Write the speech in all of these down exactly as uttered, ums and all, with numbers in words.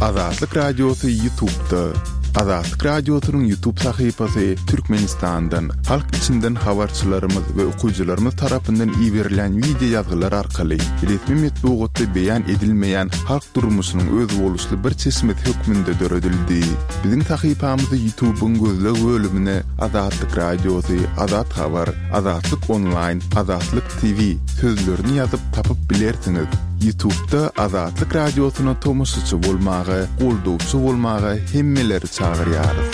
Azatlyk Radiosy YouTube'da. Azatlyk Radiosynyň YouTube sahypasy Türkmenistandan, halk içinden habarçylarymyz we okyjylarymyz tarapyndan iberilen wideo ýazgylar arkaly resmi metbugatda beýan edilmeýän halk durmuşynyň özboluşly bir çeşmesi hökmünde döredildi. Biziň sahypamyzy YouTube'yň gözleg bölümine Azatlyk Radiosy, Azat Habar, Azatlyk Online, Azatlyk T V sözlerini ýazyp tapyp bilersiňiz. YouTube'da Azatlyk Radiosyna tomaşaçy bolmaga, goldawçy bolmaga hemmeleri çagyrýarys.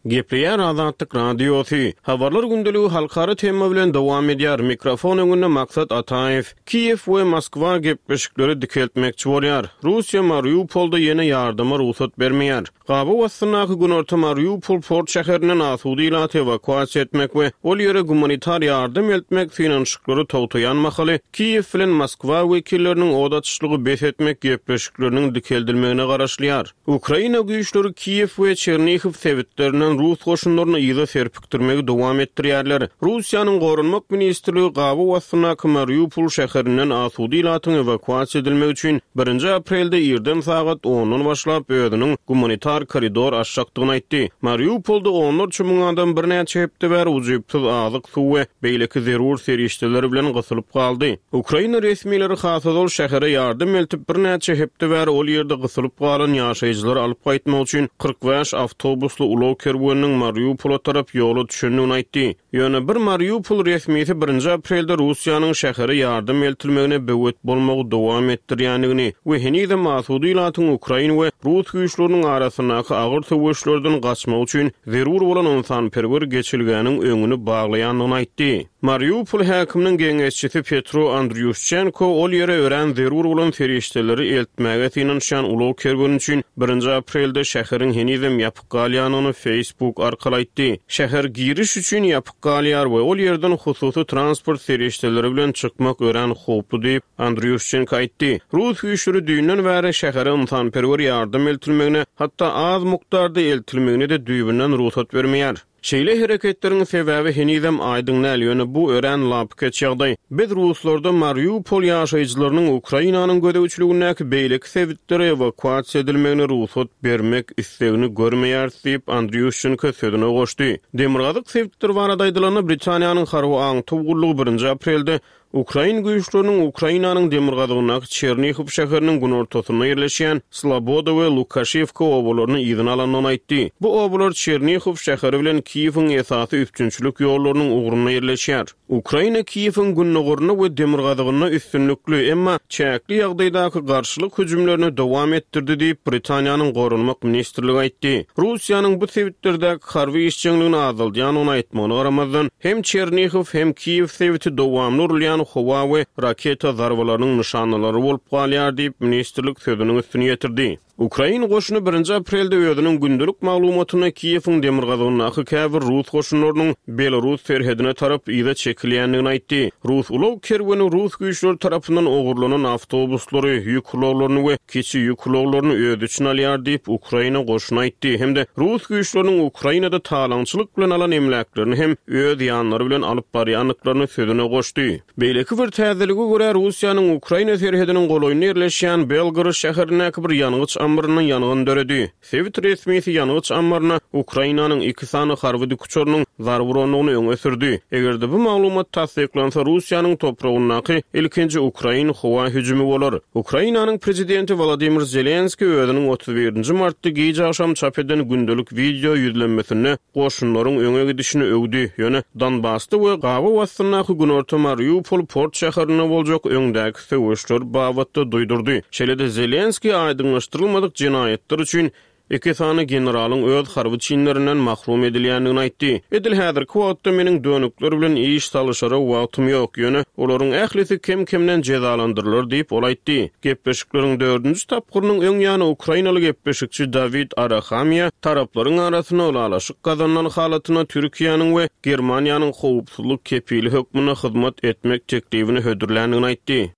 Gepleýär Azatlyk Radiosy. Habarlar gündeligi halkara tema bilen dowam edýär. Mikrofon öňünde Maksat Ataýew. Kiýew we Moskwa gepleşikleri dikeltmekçi bolýar. Russiýa Mariupolda ýene ýardama rugsat bermeýär. Gabaw astyndaky Günorta Mariupol port şäherinden asuda ilaty ewakuasiýa etmek we ol ýere gumanitar ýardam eltmek synanyşyklary togtaýan mahaly Kiýew bilen Moskwa wekilleriniň od açyşlygy bes etmek gepleşikleriniň dikeldilmegine garaşylýar. Ukraina güýçleri Kiýew we Çernihiw sebitlerinden Rus goşunlaryny yza serpikdirmegi dowam etdirýärler. Russiýanyň Goranmak ministrligi gabaw astyndaky Mariupol şäherinden asuda ilatyň ewakuasiýa edilmegi üçin birinji aprelde irden sagat ondan başlap özüniň gumanitar koridor açjakdygyny aýtdy. Mariupolda onlarça müň adam birnäçe hepde bäri ujypsyz azyk, suw we beýleki zerur serişdeler bilen gysylyp galdy. Ukraina resmileri hasazol şähere ýardam eltip birnäçe hepde bäri ol ýerde gysylyp galan ýaşaýjylary alyp gaýtmak üçin kyrk bäş awtobusly ulag kerweniniň Mariupola tarap ýola düşendigini aýtdy. Ýöne bir Mariupol resmisi birinji aprelde Russiýanyň şähere ýardam eltilmegine böwet bolmagy dowam etdirýändigini we henizem asuda ilatyň Ukraina we Rus güýçleriniň arasyndaky agyr söweşlerden gaçmak üçin zerur bolan ynsanperwer geçilgäniň öňüni baglaýandygyny aýtdy. Mariupol häkiminiň geňeşçisi Petro Andriushchenko ol ýere örän zerur bolan serişdeleri eltmäge synanyşýan ulag kerweni üçin birinji aprelde şäheriň henizem ýapyk galýandygyny Facebook arkaly aýtdy. Şäher giriş üçin ýapyk galýar we ol ýerden hususy transport serişdeleri bilen çykmak örän howply diýip Andriushchenko aýtdy. Rus güýçleri düýnden bäri şähere ynsanperwer ýardam eltilmegine, hatda az mukdarda eltilmegine de düýbünden rugsat bermeýär. Şeýle hereketleriň sebäbi henizem aýdyň däl, ýöne bu örän lapykeç ýagdaý. Biz Ruslarda Mariupol ýaşaýjylarynyň Ukrainanyň gözegçiligindäki beýleki sebitlere ewakuasiýa edilmegine rugsat bermek islegini görmeýäris diýip Andriushchenko sözüne goşdy. Demirgazyk sebitler barada aýdylanda Britaniýanyň harby aňtaw gullugy birinji aprelde Ukrain güýçleriniň Ukrainanyň demirgazygyndaky Çernihiw şäheriniň günortasynda ýerleşýän Sloboda we Lukaşewka obalaryny yzyna alandygyny aýtdy. Bu obalar Çernihiw şäheri bilen Kiýewiň esasy üpjünçilik ýollarynyň ugrunda ýerleşýär. Ukraina Kiýewiň gündogarynda we demirgazygynda üstünlikli, emma çäkli ýagdaýdaky garşylyk hüjümlerini dowam etdirdi diýip Britaniýanyň Goranmak ministrligi aýtdy. Russiýanyň bu sebitlerdäki harby işjeňligini azaldýandygyny aýtmagyna garamazdan, hem Çernihiw hem Kiýew sebiti dowamly urulýan howa we raketa zarbalarynyň nyşanalary bolup galýar diýip ministrlik sözüniň üstüni ýetirdi. Ukrain goşuny birinji aprelde özüniň gündelik maglumatyny Kiýewiň demirgazygyndaky käbir Rus goşunlarynyň Belarus serhedine tarap yza çekilýändigini aýtdy. Rus ulag kerweni Rus güýçleri tarapyndan ogurlanan awtobuslary, ýük ulaglaryny we kiçi ýük ulaglaryny öz içine alýar diýip Ukraina goşuny aýtdy. Hem-de Rus güýçleriniň Ukrainada talaňçylyk bilen alan emläklerini hem öz ýanlary bilen alyp barýandyklaryny sözüne goşdy. Beýleki bir täzelige görä Russiýanyň Ukraina serhediniň golaýynda ýerleşýän Belgorod şäherindäki bir ýangyç ammaryna ýangyn döredi. Sebit resmisi ýangyç ammaryna Ukrainanyň iki sany harby dikuçarynyň zarba urandygyny öňe sürdi. Eger-de bu maglumat tassyklansa Russiýanyň topragyndaky ilkinji Ukrain howa hüjümi bolar. Ukrainanyň prezidenti Wladimir Zelenskiý özüniň otuz birinji martda gije agşam çap eden gündelik wideo ýüzlenmesinde goşunlaryň öňe gidişini öwdi. Ýöne Donbasda we gabaw astyndaky Günorta Mariupol port şäherinde boljak öňdäki söweşler babatda duýdurdy. Şeýle-de Zelenskiý aýdyňlaşdyrylmadyk jenaýatlar üçin iki sany generalyň öz harby çinlerinden mahrum edilýändigini aýtdy. Edil häzirki wagtda meniň dönükler bilen iş salyşara wagtym ýok, ýöne olaryň ählisi kem-kemden jezalandyrylar diýip ol aýtdy. Gepleşikleriň dördünji tapgyrynyň öň ýany Ukrainaly gepleşikçi Dawid Arahamiýa taraplaryň arasynda ylalaşyk gazanylan halatyna Türkiýäniň we Germaniýanyň howpsuzlyk kepili hökmünde hyzmat etmek teklibini hödürländigini aýtdy.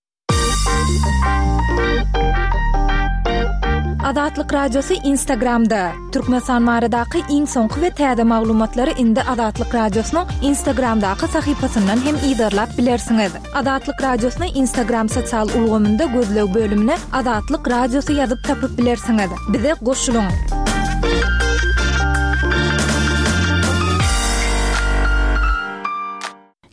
Azatlyk Radiosy Instagramda. Türkmenistan baradaky iň soňky we täze maglumatlary indi Azatlyk Radiosynyň Instagramdaky sahypasyndan hem yzarlap bilersiňiz. Azatlyk Radiosyny Instagram sosial ulgamynda gözleg bölümine Azatlyk Radiosy ýazyp tapyp bilersiňiz. Bize goşulyň!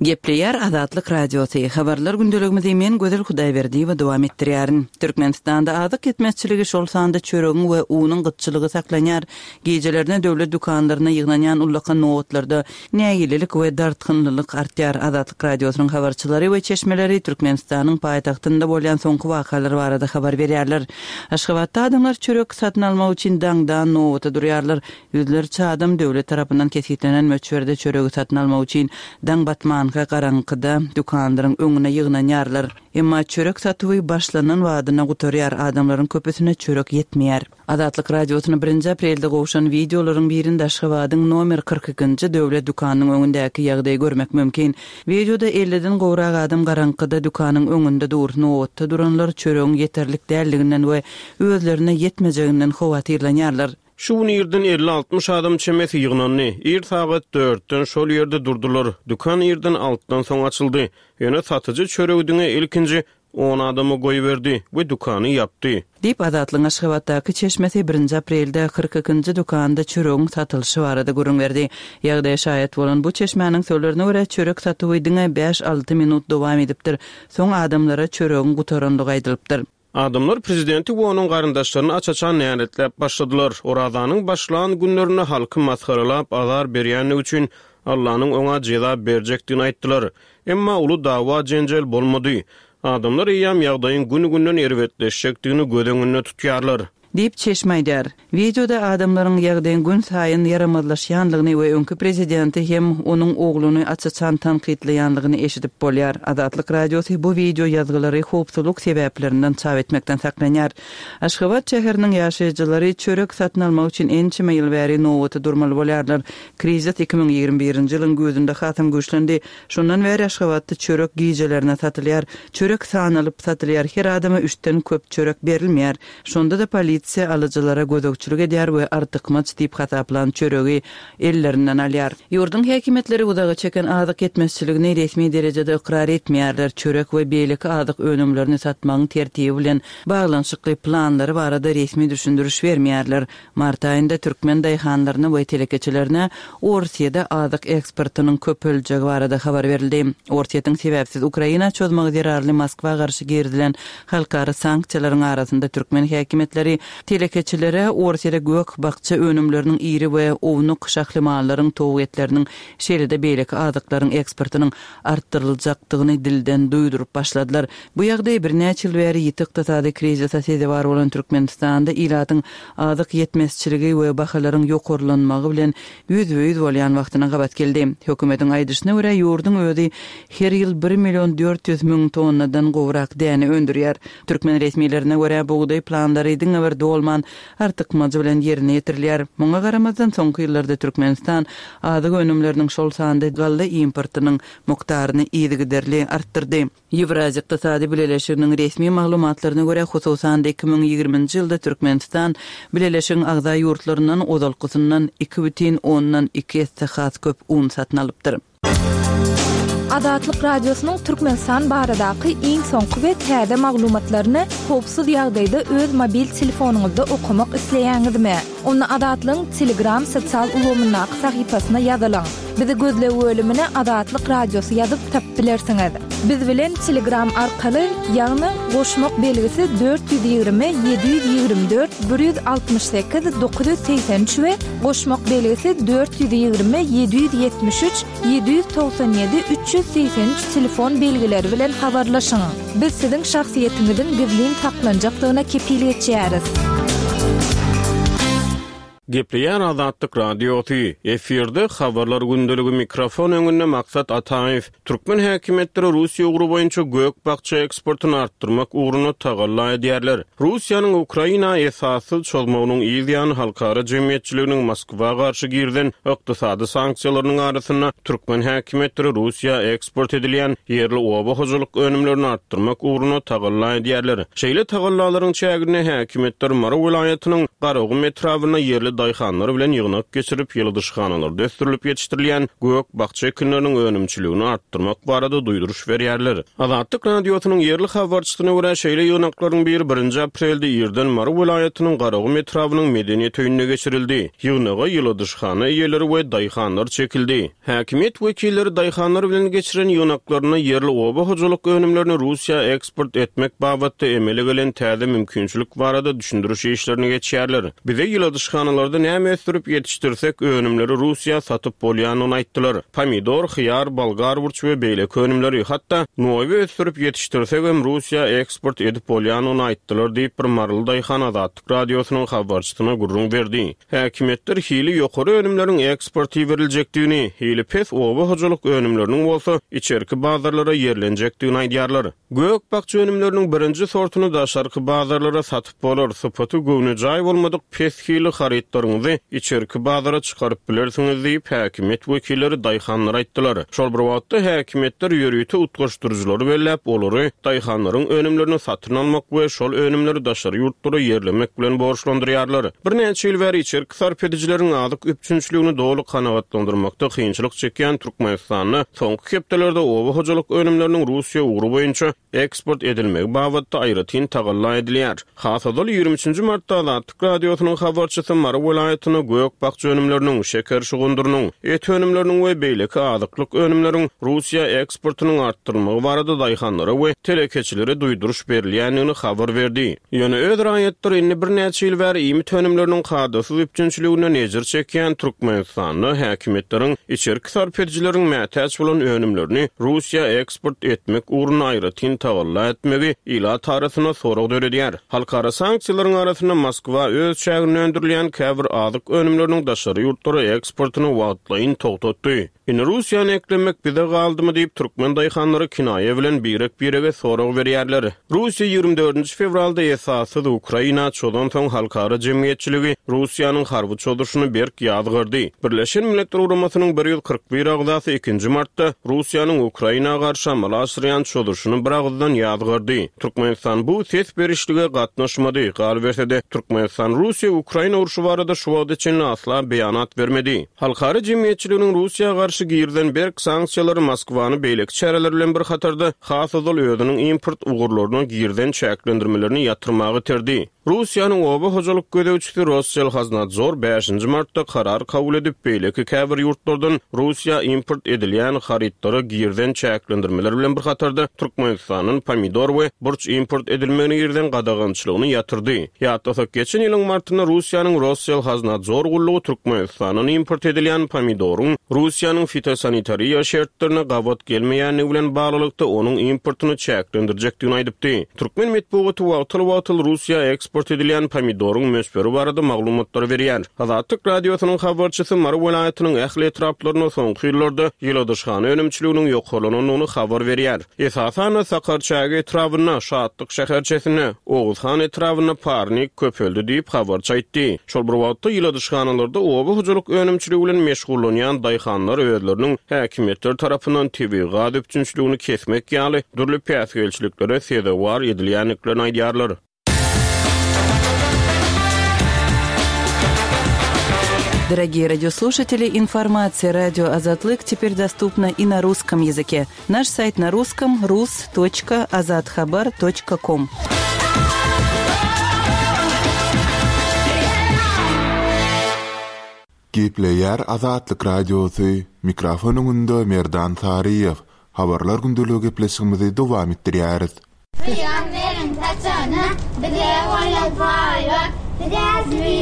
Gepleýär Azatlyk Radiosy, Habarlar gündeligimizi men Gözel Hudaýberdiýewa dowam etdirýärin. Türkmenistanda azyk ýetmezçiligi, şol sanda çöregiň we unuň gytçylygy saklanýar. Gijelerine döwlet dükanlaryna ýygnanýan ullakan nobatlarda nägilelik we dartgynlylyk artýar. Azatlyk Radiosynyň habarçylary we çeşmeleri Türkmenistanyň paýtagtynda bolýan soňky wakalar barada habar berýärler. Aşgabatda adamlar çörek satyn almak üçin daňdan nobata durýarlar. Ýüzlerçe adam döwlet tarapyndan kesgitlenen möçberde çöregi satyn almak üçin daň batmanka garaňkyda dükanlaryň öňüne ýygnanýarlar. Emma çörek satuwy başlanan badyna gutarýar, adamlaryň köpüsine çörek ýetmeýär. Azatlyk Radiosyna birinji aprelde gowşan wideolaryň birinde Aşgabadyň nomer kyrk ikinji döwlet dükanynyň öňündäki ýagdaýy görmek mümkin. Wideoda elliden gowrak adam garaňkyda dükanyň öňünde dur, nobatda duranlar çöregiň ýeterlik däldiginden we özlerine ýetmejeginden howatyrlanýarlar. Şu gün irden elli-altmyş adam çemesi ýygnandy. Ir sagat dörtden şol ýerde durdular. Dükan irden altydan soň açyldy. Ýöne satyjy çöregi diňe ilkinji on adama goýberdi we dükany ýapdy. Diýip, Azatlygyň Aşgabatdaky çeşmesi birinji aprelde kyrk ikinji dükanda çöregiň satylyşy barada gürrüň berdi. Ýagdaýa şaýat bolan bu çeşmäniň sözlerine görä, çörek satuwy diňe bäş-alty minut dowam edipdir. Soň adamlara çöregiň gutarandygy aýdylypdyr. Adamlar prezidenti we onuň garyndaşlaryny aç-açan näletläp başladylar. Orazanyň başlan günlerinde halky masgaralap azar berýändigi üçin Allanyň oňa jeza berjekdigini aýtdylar. Emma uly dawa-jenjel bolmady. Adamlar eýýäm ýagdaýyň gün-günden erbetleşjekdigini göz öňünde tutýarlar. Diýip, çeşme aýdýar. Wideoda adamlaryň ýagdaýyň günsaýyn ýaramazlaşýandygyny we öňki prezidenti hem onuň ogluny aç-açan tankytlaýandygyny eşidip bolýar. Azatlyk Radiosy bu wideo ýazgylary howpsuzlyk sebäplerinden çap etmekden saklanýar. Aşgabat şäheriniň ýaşaýjylary çörek satyn almak üçin ençeme ýyl bäri nobata durmaly bolýarlar. Krizis iki müň ýigrimi birinji ýylyň güýzünde hasam güýçlendi. Şondan bäri Aşgabatda çörek gijelerine satylýar. Çörek sanalyp satylýar, her adama üçden köp çörek berilmeýär. Şonda-da polisiýa alyjylara gözegçilik edýär we artykmaç diýip hasaplan çöregi ellerinden alýar. Ýurduň häkimiýetleri uzaga çeken azyk ýetmezçiligini resmi derejede ykrar etmeýärler, çörek we beýleki azyk önümlerini satmagyň tertibi bilen baglanyşykly planlary barada resmi düşündiriş bermeýärler. Mart aýynda türkmen daýhanlaryna we telekeçilerine Orsýede azyk eksportynyň köpeljegi barada habar berildi. Orsýetiň sebäpsiz Ukraina çozmagy zerarly Moskwa garşy girizilen halkara sanksiýalaryň arasynda türkmen häkimiýetleri telekeçilere Orsýede gök-bakja önümleriniň iri we ownuk şahly mallaryň, towuk etleriniň, şeýle-de beýleki azyklaryň eksportynyň artdyryljakdygyny dilden duýduryp başladylar. Bu ýagdaý birnäçe ýyl bäri ýiti ykdysady krizise sezewar bolan Türkmenistanda ilatyň azyk ýetmezçiligi we bahalaryň ýokarlanmagy bilen ýüzbe-ýüz bolýan wagtyna gabat geldi. Hökümetiň aýdyşyna görä, ýurduň özi her ýyl bir million dört ýüz müň tonnadan gowrak däne öndürýär. Türkmen resmilerine görä, bugdaý planlary diňe bir dolman, artykmajy bilen ýerine ýetirilýär. Muňa garamazdan, soňky ýyllarda Türkmenistan azyk önümleriniň, şol sanda galla importynyň mukdaryny yzygiderli artdyrdy. Ýewraziýa Ykdysady Bileleşiginiň resmi maglumatlaryna görä, hususan-da iki müň ýigriminji ýylda Türkmenistan Bileleşigiň agza ýurtlaryndan ozalkysyndan iki bütin ondan iki esse has köp un satyn alypdyr. Azatlyk Radiosynyň Türkmenistan baradaky iň soňky we täze maglumatlaryny howpsuz ýagdaýda öz mobil telefonyňyzda okamak isleýäňizmi? Onda Azatlygyň Telegram sosial ulgamyndaky sahypasyna ýazylyň. Bizi gözleg bölümine Azatlyk Radiosy ýazyp tapyp bilersiňiz. Biz bilen Telegram arkaly, ýagny goşmak belgisi dört ýüz ýigrimi ýedi ýüz ýigrimi dört bir ýüz altmyş sekiz dokuz ýüz segsen üç we goşmak belgisi dört ýüz ýigrimi ýedi ýüz ýetmiş üç ýedi ýüz togsan ýedi üç ýüz segsen üç telefon belgileri bilen habarlaşyň. Biz siziň şahsyýetiňiziň gizlin saklanjakdygyna kepil geçýäris. Gepleýär Azatlyk Radiosy. Efirde habarlar gündeligi mikrofon öňünde Maksat Ataýew. Türkmen häkimiýetleri Russiýa ugry boýunça gök-bakja eksportyny artdyrmak ugrunda tagalla edýärler. Russiýanyň Ukraina esassyz çozmagynyň yz ýany halkara jemgyýetçiliginiň Moskwa garşy girizen ykdysady sanksiýalarynyň arasynda türkmen häkimiýetleri Russiýa eksport edilýän ýerli oba hojalyk önümlerini artdyrmak ugrunda tagalla edýärler. Şeýle tagallalaryň çäginde häkimiýetler Mary welaýatynyň Garagum etrabynda ýerli daýhanlar bilen ýygnak geçirip, ýyladyşhanalarda ösdürilip ýetişdirilýän gök-bakja ekinleriniň önümçiligini artdyrmak barada duýduryş berýärler. Azatlyk Radiosynyň ýerli habarçysyna görä şeýle ýygnaklaryň biri birinji aprelde irden Mary welaýatynyň Garagum etrabynyň medeniýet öýünde geçirildi. Ýygnaga ýyladyşhana eýeleri we daýhanlar çekildi. Häkimiýet wekilleri daýhanlar bilen geçiren ýygnaklarynda ýerli oba hojalyk önümlerini Russiýa eksport etmek babatda emele gelen täze mümkinçilik barada düşündiriş işlerini geçýärler. Bize ýyladyşhanalarda näme ösdürip ýetişdirsek önümleri Russiýa satyp bolýanyny aýtdylar. Pomidor, hyýar, bolgar burç we beýleki önümleri hatda noýba ösdürip ýetişdirsek hem Russiýa eksport edip bolýanyny aýtdylar diýip bir maryly daýhan Azatlyk Radiosynyň habarçysyna gürrüň berdi. Häkimiýetler hili ýokary önümleriň eksporty beriljekdigini, hili pes oba hojalyk önümleriniň bolsa içerki bazarlara ýerlenjekdigini aýdýarlar. Gök-bakja önümleriniň birinji sortuny daşarky bazarlara satyp bolar. Sypaty göwnejaý bolmadyk pes hili harytlaryňyzy içerki bazara çykaryp bilersiňiz diýip häkimiýet wekilleri daýhanlara aýtdylar. Şol bir wagtda häkimiýetler ýörite utgaşdyryjylary belläp, olary daýhanlaryň önümlerini satyn almak we şol önümleri daşary ýurtlara ýerlemek bilen borçlandyrýarlar. Birnäçe ýyl bäri içerki sarp edijileriň azyk üpjünçiligini doly kanagatlandyrmakda kynçylyk çekýän Türkmenistanda soňky hepdelerde oba hojalyk önümleriniň Russiýa ugry boýunça eksport edilmegi babatda aýratyn tagalla edilýär. Has ozal ýigrimi üçünji martda Azatlyk Radiosynyň habarçysy Mary welaýatyna gök-bakja önümleriniň, şeker şugundyrynyň, et önümleriniň we beýleki azyklyk önümleriň Russiýa eksportynyň artdyrylmagy barada daýhanlara we telekeçilere duýduryş berilýändigini habar berdi. Ýöne öz raýatlary indi birnäçe ýyl bäri iýmit önümleriniň kadasyz üpjünçiligine nejir çekýän Türkmenistanda häkimiýetleriň içerki sarp edijileriň mätäç bolan önümlerini Russiýa eksport etmek ugrunda aýratyn tagalla etmegi ilat arasynda sorag döredýär. Halkara sanksiýalaryň arasynda Moskwa öz çäginde öndürilýän käbir azyk önümleriniň daşary ýurtlara eksportyny wagtlaýyn togtatdy. Indi Russiýany eklemek bize galdymy diýip türkmen daýhanlary kinaýa bilen birek-birege sorag berýärler. Russiýa ýigrimi dördünji fewralda esassyz Ukraina çozansoň halkara jemgyýetçiligi Russiýanyň harby çozuşyny berk ýazgardy. Birleşen Milletler Guramasynyň bir ýüz kyrk bir agzasy ikinji martda Russiýanyň Ukraina garşy amala aşyrýan çozuşyny bir agyzdan ýazgardy. Türkmenistan bu ses berişlige gatnaşmady. Galyberse-de Türkmenistan Russiýa Ukraina urşy barada şu wagta çenli asla beýanat bermedi. Halkara jemgyýetçiliginiň Russiýa garşy girizen berk sanksiýalary Moskwany beýleki çäreler bilen bir hatarda has ozal özüniň import ugurlaryna girizen çäklendirmelerini ýatyrmagy iterdi. Russiýanyň oba hojalyk gözegçisi Rosselxoznadzor bäşinji martda karar kabul edip, beýleki käbir ýurtlardan Russiýa import edilýän harytlara girizen çäklendirmeler bilen bir hatarda Türkmenistandan pomidor we burç import edilmegine girizen gadagançylygyny ýatyrdy. Ýatlasak, geçen ýylyň martynda Russiýanyň Rosselxoznadzor gullugy Türkmenistandan import edilýän pomidoryň Russiýanyň fitosanitariýa şertlerine gabat gelmeýänligi bilen baglylykda onuň importyny çäklendirjekdigini aýdypdy. Türkmen metbugaty wagtal-wagtal Russiýa eksport edilýän pomidoryň möçberi barada maglumatlar berýär. Azatlyk Radiosynyň habarçysy Mary welaýatynyň ähli etraplarynda soňky ýyllarda ýyladyşhana önümçiliginiň ýokarlanandygyny habar berýär. Esasan Sakarçäge etrabynda, Şatlyk şäherçesinde, Oguzhan etrabynda parnik köpeldi diýip habarçy aýtdy. Şol bir wagtda ýyladyşhanalarda oba hojalyk önümçiligi bilen meşgullanýan daýhanlar özleriniň häkimiýetler tarapyndan tebigy gaz üpjünçiligini kesmek ýaly dürli päsgelçiliklere sezewar edilýändiklerini aýdýarlar. Дорогие радиослушатели, информация радио Азатлык теперь доступна и на русском языке. Наш сайт на русском рус точка азатхабар точка ком. Gepleýär Azatlyk Radiosy, mikrofon öňünde Merdan Saryýew. Habarlar gündeligi gepleşigimizi dowam etdirýäris. Pygamberin taçany bize goýlan paýlar, bize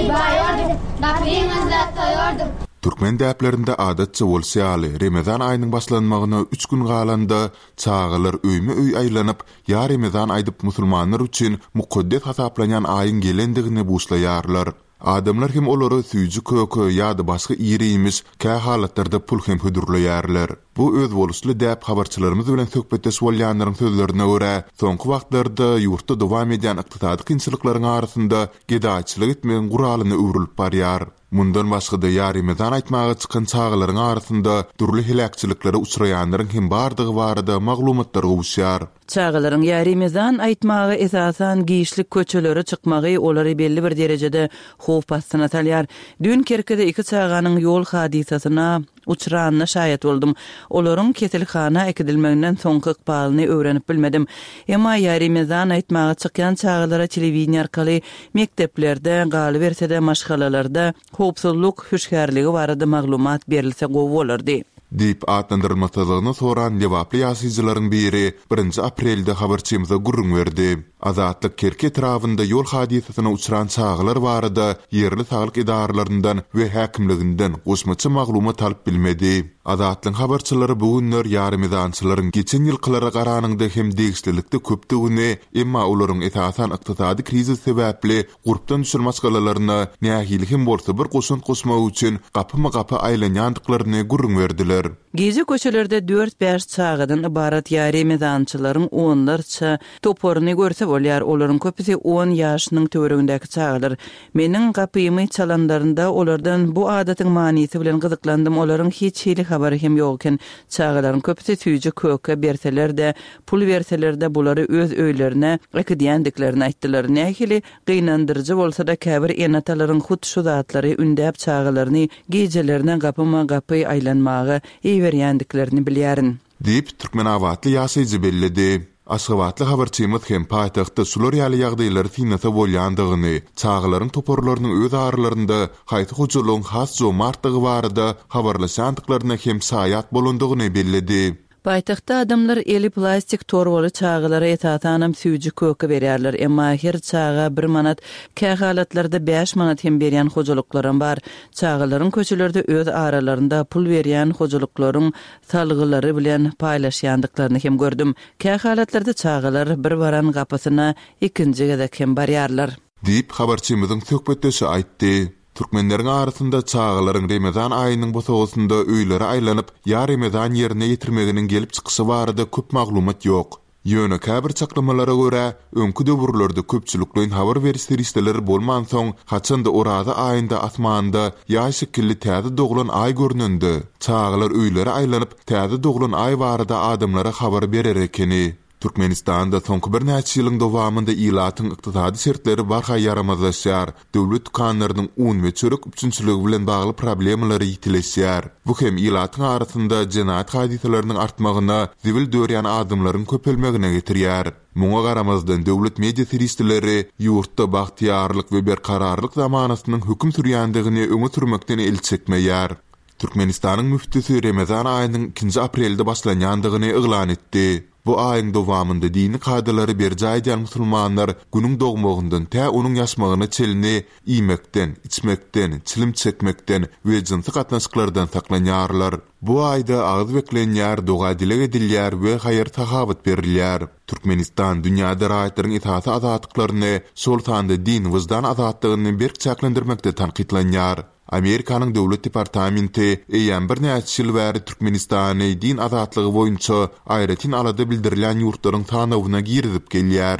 baýordyk, gapymyzda toýordyk. Türkmen däplerinde adatça bolşy ýaly, Remezan aýynyň başlanmagyna üç gün galanda çagalar öýme-öý aýlanyp, ýa Remezan aýdyp musulmanlar üçin mukaddes hasaplanýan aýyň gelendigini buşlaýarlar. Adamlar hem olara süýji-köke ýa-da başga iri-iýmiş, kähalatlarda pul hem hödürleýärler. Bu özboluşly däp habarçylarymyz bilen söhbetdeş bolýanlaryň sözlerine görä, soňky wagtlarda ýurtda dowam edýän ykdysady kynçylyklaryň arasynda gedaýçylyk etmegiň guralyna öwrülip barýar. Mundan başga-da ýaremezan aýtmaga çykan çagalaryň arasynda dürli heläkçiliklere uçraýanlaryň hem bardygy barada maglumatlar gowuşýar. Çagalaryň ýaremezan aýtmaga esasan giçlik köçelere çykmagy olary belli bir derejede howp astyna salýar. Düýn Kerkide iki çaganyň ýol hadysasyna uçranyna şaýat boldum. Olaryň keselhana äkidilmeginden soňky ykbalyny öwrenip bilmedim. Emma ýaremezan aýtmaga çykýan çagalara telewideniýe arkaly mekdeplerde, galyberse-de maşgalalarda howpsuzlyk hüşgärligi barada maglumat berilse gowy bolardy. Diýip, atlandyrylmasyzlygyny soran lebaply ýaşaýjylaryň biri birinji aprelde habarçymyza gürrüň berdi. Azatlyk Kerki etrabynda ýol hadysasyna uçran çagalar barada ýerli saglyk edaralaryndan we häkimliginden goşmaça maglumat alyp bilmedi. Azatlygyň habarçylary bu günler ýaremezançylaryň geçen ýylkylara garanyňda hem degişlilikde köpdügini, emma olaryň esasan ykdysady krizis sebäpli gurpdan düşen maşgalalaryna nähili hem bolsa bir goşant goşmak üçin gapyma-gapy aýlanýandyklaryny gürrüň berdiler. Gije köçelerde dört-bäş çagadan ybarat ýaremezançylaryň onlarça toparyny görse bolýar. Olaryň köpüsi on ýaşynyň töweregindäki çagalar. Meniň gapymy çalanlarynda olardan bu adatyň manysy bilen gyzyklandym. Olaryň hiç hili habary hem ýok eken. Çagalaryň köpüsi süýji köke berseler-de, pul berseler-de bulary öz öýlerine äkidýändiklerini aýtdylar. Nähili gynandyryjy bolsa-da käbir ene-atalaryň hut şu zatlary ündäp çagalaryny gijelerine gapyma-gapy aýlanmaga iberýändiklerini bilýärin. Diýip, Türkmenabatly ýaşaýjy belledi. Aşgabatly habarçymyz hem paýtagtda şular ýaly ýagdaýlary synlasa bolýandygyny, çagalaryň toparlarynyň öz aralarynda haýsy hojalygyň has jomartdygy barada habarlaşýandyklaryna hem şaýat bolandygyny belledi. Paýtagtda adamlar eli plastik torbaly çagalara esasanam süýji köke berýärler, emma her çaga bir manat, kähalatlarda bäş manat hem berýän hojalyklaram bar. Çagalaryň köçelerde öz aralarynda pul berýän hojalyklaryň salgylary bilen paýlaşýandyklaryny hem gördüm. Kähalatlarda çagalar bir baran gapysyna ikinji gezek hem barýarlar. Diýip, habarçymyzyň söhbetdeşi aýtdy. Türkmenleriň arasynda çagalaryň Remezan aýynyň bosagasynda öýlere aýlanyp, ýa Remezan ýerine ýetirmeginiň gelip çykyşy barada köp maglumat ýok. Ýöne käbir çaklamalara görä, öňki döwürlerde köpçülikleýin habar beriş serişdeleri bolmansoň, haçanda Oraza aýynda asmanda ýaý şekilli täze doglan aý görnende, çagalar öýlere aýlanyp, täze doglan aý barada adamlara habar berer ekeni. Türkmenistanda soňky birnäçe ýylyň dowamynda ilatyň ykdysady şertleri barha ýaramazlaşýar, döwlet dükanlarynyň un we çörek üpjünçiligi bilen bagly problemalary ýitileşýär. Bu hem ilatyň arasynda jenaýat hadysalarynyň artmagyna, zibil dörýän adamlaryň köpelmegine getirýär. Muňa garamazdan döwlet media serişdeleri ýurtda bagtyýarlyk we berkararlyk zamanasynyň höküm sürýändigini öňe sürmekden el çekmeýär. Türkmenistanyň müftüsi Remezan aýynyň ikinji aprelde başlanýandygyny yglan etdi. Bu aýyň dowamynda dini kadalary berjaý edýän musulmanlar günüň dogmagyndan tä onuň ýaşmagyna çenli iýmekden, içmekden, çilim çekmekden we jynsy gatnaşyklardan saklanýarlar. Bu aýda agyz beklenýär, doga-dileg edilýär we haýyr-sahawat berilýär. Türkmenistan dünýäde raýatlaryň esasy azatlyklaryny, şol sanda din, wyždan azatlygyny berk çäklendirmekde tankytlanýar. Amerikanyň Döwlet departamenti eýýäm birnäçe ýyl bäri Türkmenistany din azatlygy boýunça aýratyn alada bildirilýän ýurtlaryň sanawyna girizip gelýär.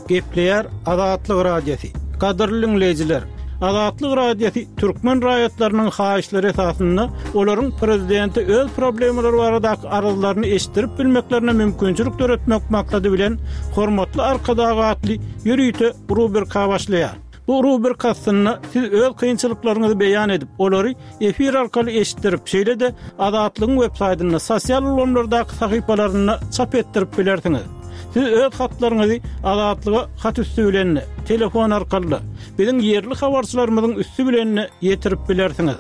Gepleýär Azatlyk Radiosy. Gadyrly diňleýjiler, Azatlyk Radiosy türkmen raýatlarynyň haýyşlary esasynda olaryň prezidente öz problemalary baradaky arzlaryny eşitdirip bilmeklerine mümkinçilik döretmek maksady bilen Hormatly Arkadag atly ýörite rubrika başlaýar. Bu rubrika astynda siz öz kynçylyklaryňyzy beýan edip, olary efir arkaly eşitdirip, şeýle-de Azatlygyň web saýtynda, sosial ulgamlardaky sahypalarynda çap etdirip bilersiňiz. Siz öz hatlaryňyzy Azatlyga hat üsti bilen, telefon arkaly, biziň ýerli habarçylarymyzyň üsti bilen ýetirip bilersiňiz.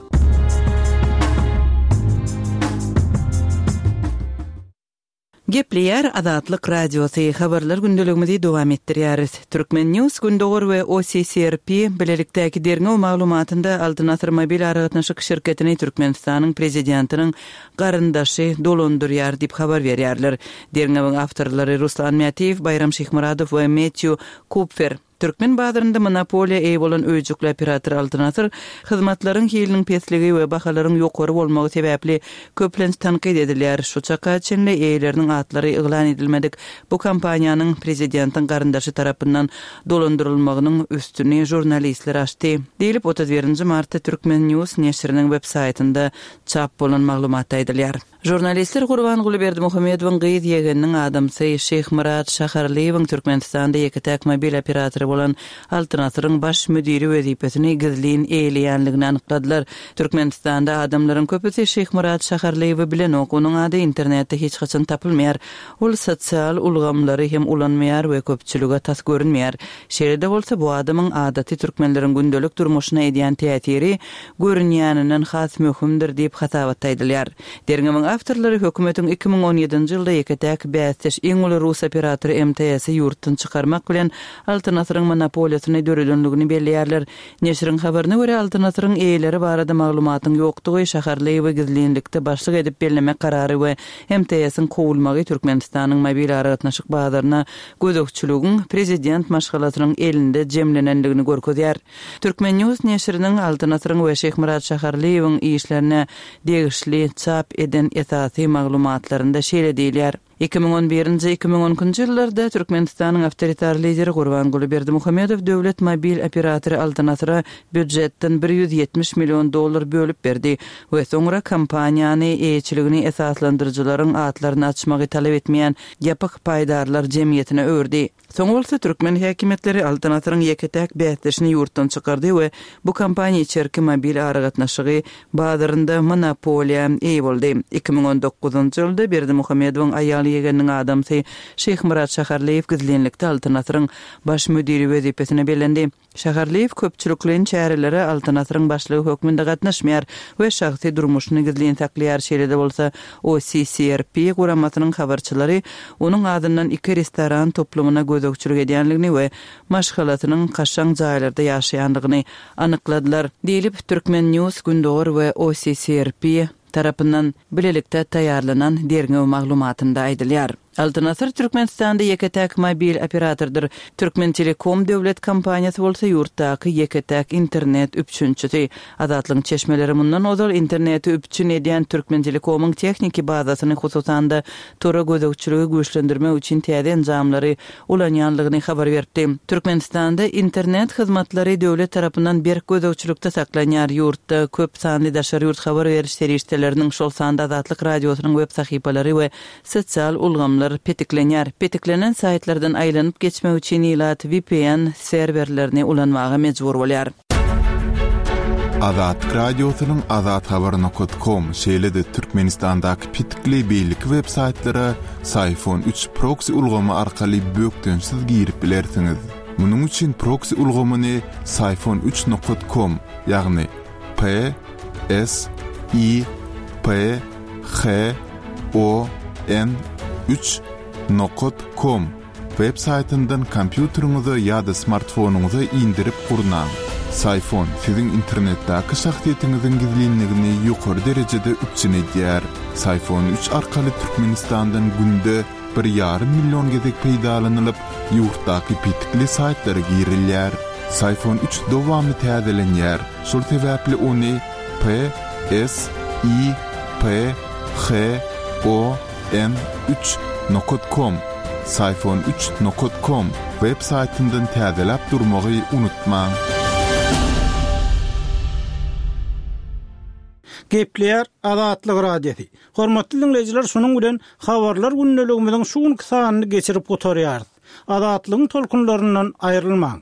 Gepleýär Azatlyk Radiosy, habarlar gündeligimizi dowam etdirýäris. Turkmen News Gündogar we O C C R P bilelikdäki derňew maglumatynda Altyn Asyr mobil aragatnaşyk şirketini Türkmenistanyň prezidentiniň garyndaşy dolandyrýar diýip habar berýärler. Derňewiň awtorlary Ruslan Mätiýew, Baýram Şyhmyradow we Matthew Kupfer. Türkmen bazarynda monopoliýa eýe bolan öýjükli operator Altyn Asyr hyzmatlaryň hiliniň pesligi we bahalaryň ýokary bolmagy sebäpli köplenç tankyt edilýär. Şu çaka çenli eýeleriniň atlary yglan edilmedik bu kompaniýanyň prezidentiň garyndaşy tarapyndan dolandyrylmagynyň üstüni žurnalistler açdy. Diýlip otuz birinji martda Turkmen News neşiriniň web saýtynda çap bolan maglumatda aýdylýar. Žurnalistler Gurbanguly Berdimuhamedowyň gyz ýegeniniň adamsy Şyhmyrat Şaharlyýewiň Türkmenistanda ýeke-täk mobil operatory bolan Altyn Asyryň baş müdiri wezipesini gizlin eýeleýänligini anykladylar. Türkmenistanda adamlaryň köpüsi Şyhmyrat Şaharlyýewi bilenok, onuň ady internetde hiç haçan tapylmaýar. Ol sosial ulgamlary hem ulanmaýar we köpçülige tas görünmeýär. Şeýle-de bolsa bu adamyň adaty türkmenleriň gündelik durmuşyna edýän täsiri görünýäninden has möhümdir diýip hasabatda aýdylýar. Derňewiň awtorlary hökümetiň iki müň on ýedinji ýylda ýeke-täk bäsdeş iň uly rus operatory M T S-i ýurtdan çykarmak bilen Altyn Asyryň monopoliýasyny döredenligini belleýärler. Neşiriň habaryna görä, Altyn Asyryň eýeleri barada maglumatyň ýokdugy, Şaharlyýewi gizlinlikde başlyk edip bellemek karary we M T S-iň kowulmagy Türkmenistanyň mobil aragatnaşyk bazaryna gözegçiligiň prezident maşgalasynyň elinde jemlenenligini görkezýär. Turkmen News neşiriniň Altyn Asyryň we Şyhmyrat Şaharlyýewiň işlerine degişli çap eden esasy maglumatlarynda şeýle diýilýär. iki müň on birinji-iki müň on ikinji ýyllarda Türkmenistanyň awtoritar lideri Gurbanguly Berdimuhamedow döwlet mobil operatory Altyn Asyra býujetden bir ýüz ýetmiş million dollar bölüp berdi we soňra kompaniýany eýeçiligini esaslandyryjylaryň atlaryny açmagy talap etmeýän ýapyk paýdarlar jemgyýetine öwürdi. Soň bolsa türkmen häkimiýetleri Altyn Asyryň ýeke-täk bäsdeşini ýurtdan çykardy we bu kompaniýa içerki mobil aragatnaşygy bazarynda monopoliýa eýe boldy. iki müň on dokuzynjy ýylda Berdimuhamedowyň aýal ýegeniniň adamsy Şyhmyrat Şaharlyýew gizlinlikde Altyn Asyryň baş müdiri wezipesine bellendi. Şaharlyýew köpçülikleýin çärelere Altyn Asyryň başlygy hökmünde gatnaşmaýar we şahsy durmuşyny gizlin saklaýar. Şeýle-de bolsa O C C R P guramasynyň habarçylary onuň adyndan iki restoran toplumyna gözegçilik edýänligini we maşgalasynyň kaşaň jaýlarda ýaşaýandygyny anykladylar. Diýlip Turkmen News Gündogar we O C C R P tarapyndan bilelikde taýýarlanan derňew maglumatynda aýdylýar. Altyn Asyr Türkmenistanda ýeke-täk mobil operatordyr. Türkmen Telekom döwlet kompaniýasy bolsa ýurtdaky ýeke-täk internet üpjünçisi. Azatlygyň çeşmeleri mundan ozal interneti üpjün edýän Türkmen Telekomyň tehniki bazasyny, hususan-da tora gözegçiligi güýçlendirmek üçin täze enjamlary ulanýanlygyny habar berdi. Türkmenistanda internet hyzmatlary döwlet tarapyndan berk gözegçilikde saklanýar. Ýurtda köp sanly daşary ýurt habar beriş serişdeleriniň, şol sanda Azatlyk Radiosynyň web sahypalary we sosial ulgamlar petiklenýär. Petiklenen saýtlardan aýlanyp geçmek üçin ilat V P N serwerlerini ulanmaga mejbur bolýar. Azatlyk Radiosynyň azathabar nokta com, şeýle-de Türkmenistandaky petikli beýleki web saýtlara Psiphon üç proxy ulgamy arkaly bökdençsiz girip bilersiňiz. Munuň üçin proxy ulgamyny psiphon üç nokta com, ýagny P S I P H O N üç nokta com web saýtyndan kompýuteriňize ýa-da smartfonyňyza indirip gurnaň. Psiphon siziň internetdäki şahsyýetiňiziň gizlinligini ýokary derejede üpjün edýär. Psiphon üç arkaly Türkmenistandan günde bir ýarym million gezek peýdalanylyp, ýurtdaky petikli saýtlara girilýär. Psiphon üç dowamly täzelenýär. Şol sebäpli ony P S I P H O N üç nokta com psiphon üç nokta com web saýtyndan täzeläp durmagy unutmaň. Gepleýär Azatlyk Radiosy. Hormatly dinleýjiler, şunuň bilen habarlar gündeligimiziň şu günki sanyny geçirip gutarýarys. Azatlygyň tolkunlaryndan aýrylmaň.